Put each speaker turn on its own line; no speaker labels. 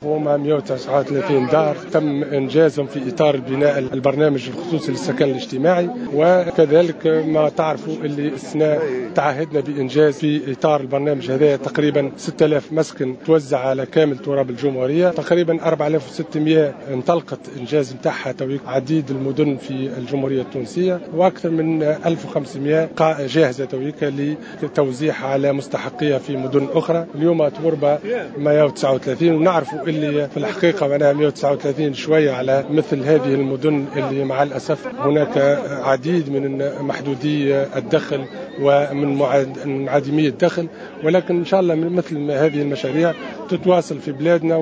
هما 139 دار تم انجازهم في اطار بناء البرنامج الخصوصي للسكن الاجتماعي، وكذلك ما تعرفوا اللي السنة تعهدنا بانجاز في اطار البرنامج هذا تقريبا 6000 مسكن توزع على كامل تراب الجمهوريه، تقريبا 4600 انطلقت انجاز نتاعها عديد المدن في الجمهورية التونسية، واكثر من 1500 جاهزة تويكا لتوزيعها على مستحقيها في مدن اخرى. اليوم طبربة 139، ونعرفوا اللي في الحقيقة معناها 139 شوية على مثل هذه المدن اللي مع الاسف هناك عديد من محدودي الدخل ومن عديمي الدخل، ولكن ان شاء الله من مثل هذه المشاريع تتواصل في بلادنا.